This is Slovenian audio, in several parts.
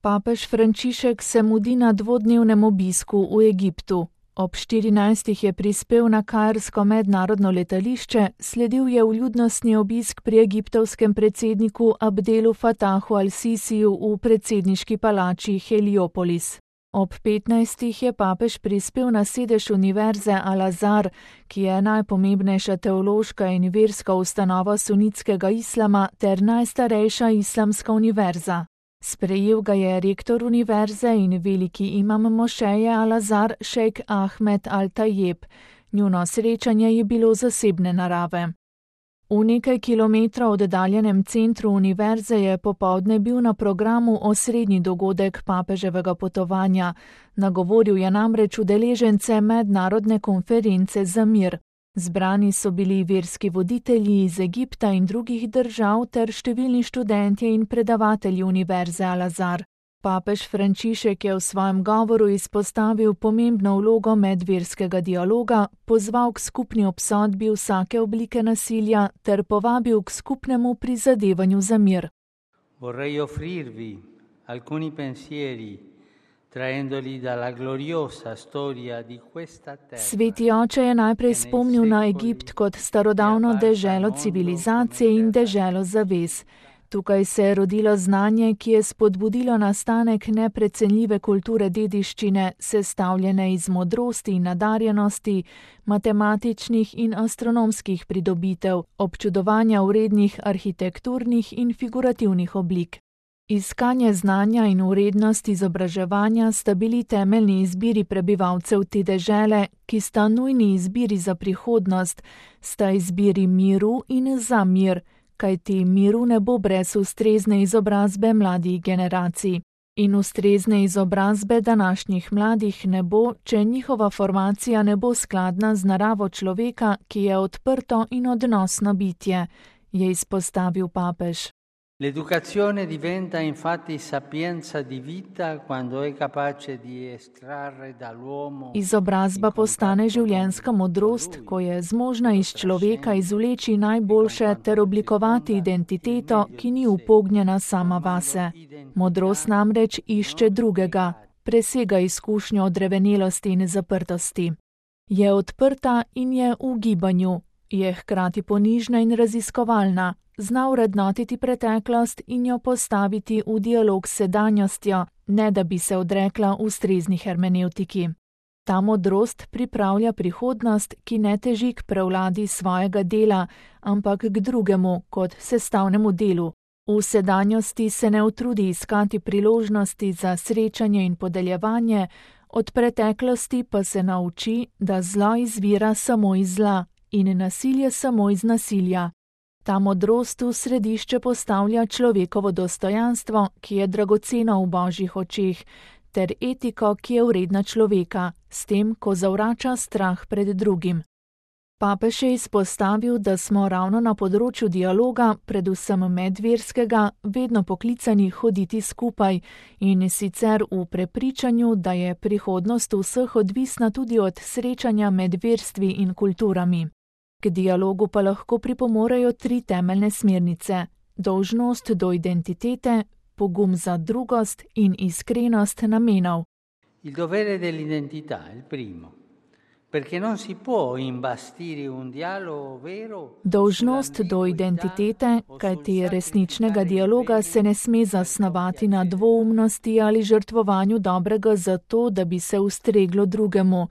Papež Frančišek se mudi na dvodnevnem obisku v Egiptu. Ob 14. je prispel na kairsko mednarodno letališče, sledil je vljudnostni obisk pri egiptovskem predsedniku Abdelu Fatahu al-Sisiju v predsedniški palači Heliopolis. Ob 15. je papež prispel na sedež univerze Al-Azhar, ki je najpomembnejša teološka in verska ustanova sunitskega islama ter najstarejša islamska univerza. Sprejel ga je rektor univerze in veliki imam mošeje Al-Azhar šejk Ahmed Al-Tajeb. Njuno srečanje je bilo zasebne narave. V nekaj kilometrov oddaljenem centru univerze je popoldne bil na programu osrednji dogodek papeževega potovanja. Nagovoril je namreč udeležence mednarodne konference za mir. Zbrani so bili verski voditelji iz Egipta in drugih držav ter številni študentje in predavatelji univerze Al-Azhar. Papež Frančišek je v svojem govoru izpostavil pomembno vlogo medverskega dialoga, pozval k skupni obsodbi vsake oblike nasilja ter povabil k skupnemu prizadevanju za mir. Vorrei offrirvi alcuni pensieri, traendoli dalla gloriosa storia di questa terra. Sveti oče je najprej spomnil na Egipt kot starodavno deželo civilizacije in deželo zavez. Tukaj se je rodilo znanje, ki je spodbudilo nastanek neprecenljive kulture dediščine, sestavljene iz modrosti in nadarjenosti, matematičnih in astronomskih pridobitev, občudovanja vrednih arhitekturnih in figurativnih oblik. Iskanje znanja in vrednost izobraževanja sta bili temeljni izbiri prebivalcev te dežele, ki sta nujni izbiri za prihodnost, sta izbiri miru in za mir, kajti miru ne bo brez ustrezne izobrazbe mladih generacij. In ustrezne izobrazbe današnjih mladih ne bo, če njihova formacija ne bo skladna z naravo človeka, ki je odprto in odnosno bitje, je izpostavil papež. L'educazione diventa infatti sapienza di vita quando è capace di estrarre dall'uomo. Izobrazba postane življenjska modrost, ko je zmožna iz človeka izvleči najboljše ter oblikovati identiteto, ki ni upognjena sama vase. Modrost namreč išče drugega, presega izkušnjo odrevenelosti in zaprtosti. Je odprta in je v gibanju, je hkrati ponižna in raziskovalna. Zna vrednotiti preteklost in jo postaviti v dialog s sedanjostjo, ne da bi se odrekla ustrezni hermenevtiki. Ta modrost pripravlja prihodnost, ki ne teži k prevladi svojega dela, ampak k drugemu kot sestavnemu delu. V sedanjosti se ne utrudi iskati priložnosti za srečanje in podeljevanje, od preteklosti pa se nauči, da zlo izvira samo iz zla in nasilje samo iz nasilja. Ta modrost v središče postavlja človekovo dostojanstvo, ki je dragoceno v božjih očeh, ter etiko, ki je vredna človeka, s tem, ko zavrača strah pred drugim. Papež je izpostavil, da smo ravno na področju dialoga, predvsem medverskega, vedno poklicani hoditi skupaj in sicer v prepričanju, da je prihodnost vseh odvisna tudi od srečanja med verstvi in kulturami. K dialogu pa lahko pripomorejo 3 temeljne smernice: dolžnost do identitete, pogum za drugost in iskrenost namenov. Il dovere dell'identità è il primo, perché non si può imbastire un dialogo vero. Dolžnost do identitete, kajti resničnega dialoga se ne sme zasnovati na dvoumnosti ali žrtvovanju dobrega zato, da bi se ustreglo drugemu.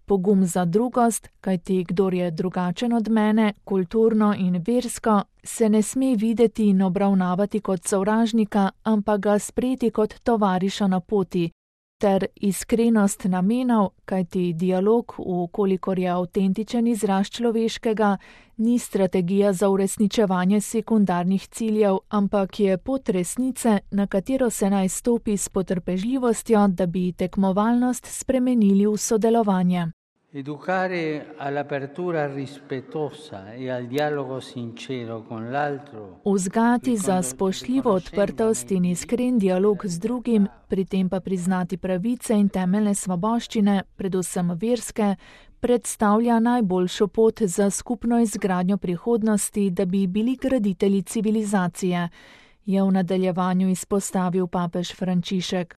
Pogum za drugost, kajti kdor je drugačen od mene, kulturno in versko, se ne sme videti in obravnavati kot sovražnika, ampak ga sprejeti kot tovariša na poti. Ter iskrenost namenov, kajti dialog, vkolikor je avtentičen izraz človeškega, ni strategija za uresničevanje sekundarnih ciljev, ampak je pot resnice, na katero se naj stopi s potrpežljivostjo, da bi tekmovalnost spremenili v sodelovanje. Educare all'apertura rispettosa e al dialogo sincero con l'altro. Vzgajati za spoštljivo odprtost in iskren dialog z drugim, pri tem pa priznati pravice in temeljne svoboščine, predvsem verske, predstavlja najboljšo pot za skupno izgradnjo prihodnosti, da bi bili graditelji civilizacije, je v nadaljevanju izpostavil papež Frančišek.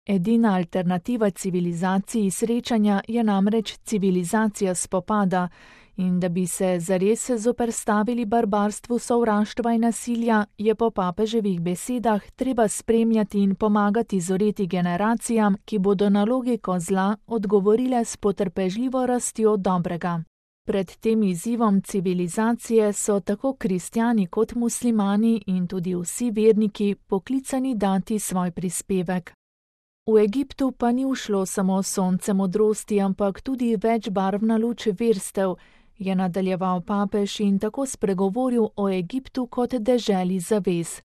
Edina alternativa civilizaciji srečanja je namreč civilizacija spopada in da bi se zares zoperstavili barbarstvu sovraštva in nasilja, je po papeževih besedah treba spremljati in pomagati zoreti generacijam, ki bodo na logiko zla odgovorile s potrpežljivo rastjo dobrega. Pred tem izzivom civilizacije so tako kristjani kot muslimani in tudi vsi verniki poklicani dati svoj prispevek. V Egiptu pa ni ušlo samo sonce modrosti, ampak tudi večbarvna luč verstev, je nadaljeval papež in tako spregovoril o Egiptu kot deželi zavez.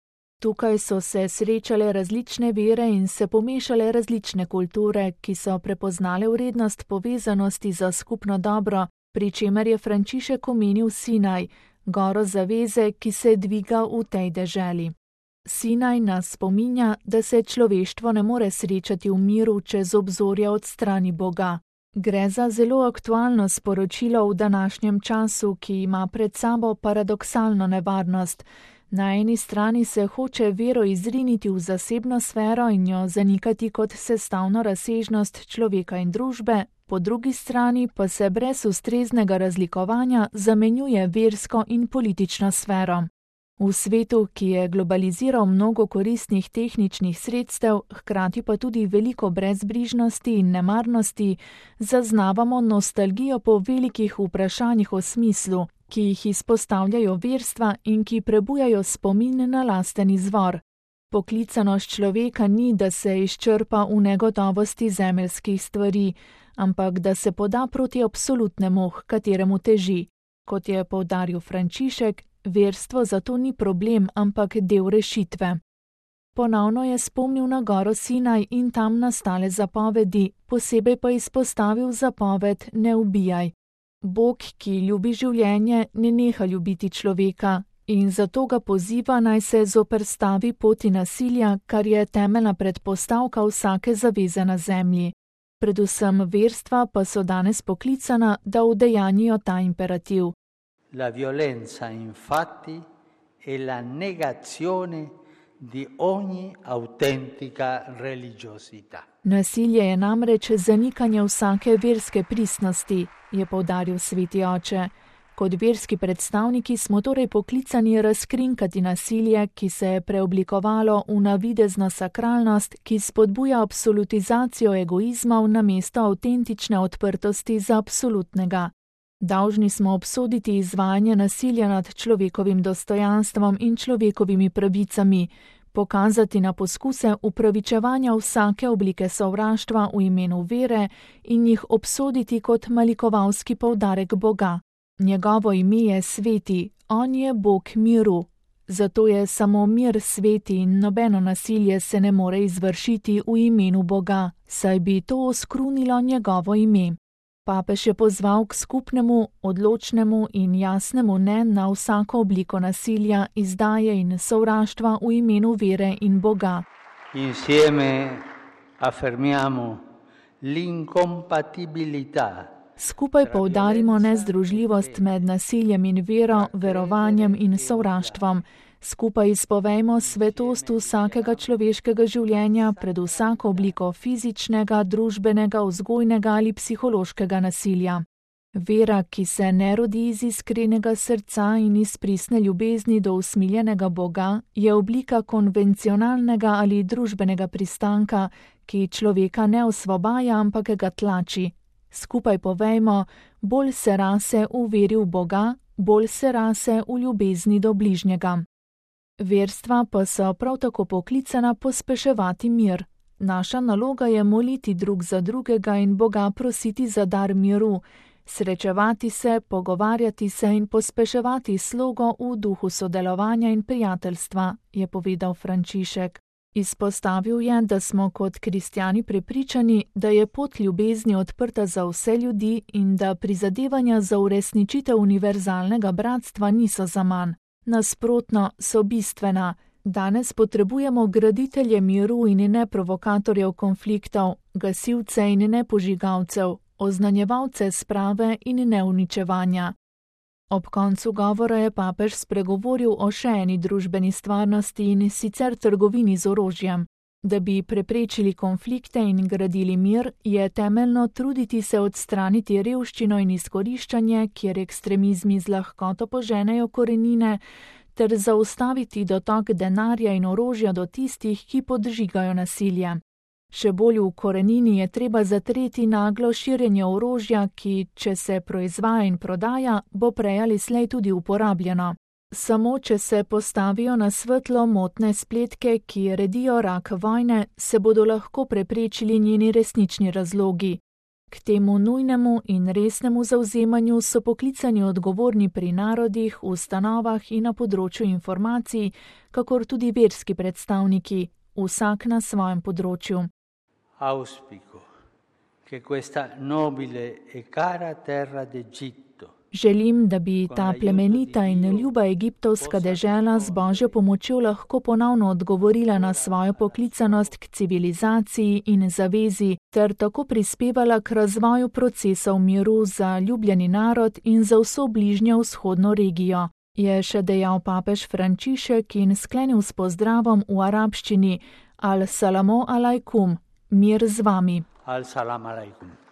Tukaj so se srečale različne vere in se pomešale različne kulture, ki so prepoznale vrednost povezanosti za skupno dobro, pri čemer je Frančišek omenil Sinaj, goro zaveze, ki se dviga v tej deželi. Sinaj nas spominja, da se človeštvo ne more srečati v miru, če z obzorja odstrani Boga. Gre za zelo aktualno sporočilo v današnjem času, ki ima pred sabo paradoksalno nevarnost. Na eni strani se hoče vero izriniti v zasebno sfero in jo zanikati kot sestavno razsežnost človeka in družbe, po drugi strani pa se brez ustreznega razlikovanja zamenjuje versko in politično sfero. V svetu, ki je globaliziral mnogo koristnih tehničnih sredstev, hkrati pa tudi veliko brezbrižnosti in nemarnosti, zaznavamo nostalgijo po velikih vprašanjih o smislu, ki jih izpostavljajo verstva in ki prebujajo spomin na lasten izvor. Poklicanost človeka ni, da se izčrpa v negotovosti zemeljskih stvari, ampak da se poda proti absolutnemu, h kateremu teži. Kot je poudaril Frančišek, verstvo zato ni problem, ampak del rešitve. Ponovno je spomnil na goro Sinaj in tam nastale zapovedi, posebej pa izpostavil zapoved ne ubijaj. Bog, ki ljubi življenje, ne neha ljubiti človeka in zato ga poziva, naj se zoperstavi poti nasilja, kar je temeljna predpostavka vsake zaveze na zemlji. Predvsem verstva pa so danes poklicana, da udejanjijo ta imperativ. La violenza, infatti, è la negazione di ogni autentica religiosità. Nasilje je namreč zanikanje vsake verske pristnosti, je poudaril sveti oče. Kot verski predstavniki smo torej poklicani razkrinkati nasilje, ki se je preoblikovalo v navidezno sakralnost, ki spodbuja absolutizacijo egoizmov namesto avtentične odprtosti za absolutnega. Dolžni smo obsoditi izvajanje nasilja nad človekovim dostojanstvom in človekovimi pravicami, pokazati na poskuse upravičevanja vsake oblike sovraštva v imenu vere in jih obsoditi kot malikovalski poudarek Boga. Njegovo ime je sveti, on je Bog miru. Zato je samo mir sveti in nobeno nasilje se ne more izvršiti v imenu Boga, saj bi to oskrunilo njegovo ime. Papež je pozval k skupnemu, odločnemu in jasnemu ne na vsako obliko nasilja, izdaje in sovraštva v imenu vere in Boga. Insieme affermiamo l'incompatibilità. Skupaj poudarimo nezdružljivost med nasiljem in vero, verovanjem in sovraštvom. Skupaj izpovejmo svetost vsakega človeškega življenja pred vsako obliko fizičnega, družbenega, vzgojnega ali psihološkega nasilja. Vera, ki se ne rodi iz iskrenega srca in iz pristne ljubezni do usmiljenega Boga, je oblika konvencionalnega ali družbenega pristanka, ki človeka ne osvobaja, ampak ga tlači. Skupaj povejmo, bolj se rase v veri v Boga, bolj se rase v ljubezni do bližnjega. Verstva pa so prav tako poklicana pospeševati mir. Naša naloga je moliti drug za drugega in Boga prositi za dar miru, srečevati se, pogovarjati se in pospeševati slogo v duhu sodelovanja in prijateljstva, je povedal Frančišek. Izpostavil je, da smo kot kristjani prepričani, da je pot ljubezni odprta za vse ljudi in da prizadevanja za uresničitev univerzalnega bratstva niso zaman. Nasprotno, so bistvena. Danes potrebujemo graditelje miru in ne provokatorjev konfliktov, gasilce in ne požigalcev, oznanjevalce sprave in ne uničevanja. Ob koncu govora je papež spregovoril o še eni družbeni stvarnosti, in sicer trgovini z orožjem. Da bi preprečili konflikte in gradili mir, je temeljno truditi se odstraniti revščino in izkoriščanje, kjer ekstremizmi z lahkoto poženejo korenine, ter zaustaviti dotok denarja in orožja do tistih, ki podžigajo nasilje. Še bolj v korenini je treba zatreti naglo širjenje orožja, ki, če se proizvaja in prodaja, bo prej ali slej tudi uporabljeno. Samo če se postavijo na svetlo motne spletke, ki redijo rak vojne, se bodo lahko preprečili njeni resnični razlogi. K temu nujnemu in resnemu zavzemanju so poklicani odgovorni pri narodih, ustanovah in na področju informacij, kakor tudi verski predstavniki, vsak na svojem področju. Auspico che questa nobile e cara terra d'Egitto. Želim, da bi ta plemenita in ljuba egiptovska dežela z Božjo pomočjo lahko ponovno odgovorila na svojo poklicanost k civilizaciji in zavezi, ter tako prispevala k razvoju procesov miru za ljubljeni narod in za vso bližnjo vzhodno regijo, je še dejal papež Frančišek in sklenil s pozdravom v arabščini: Al-salamu alaikum, mir z vami. Al-salam alaikum.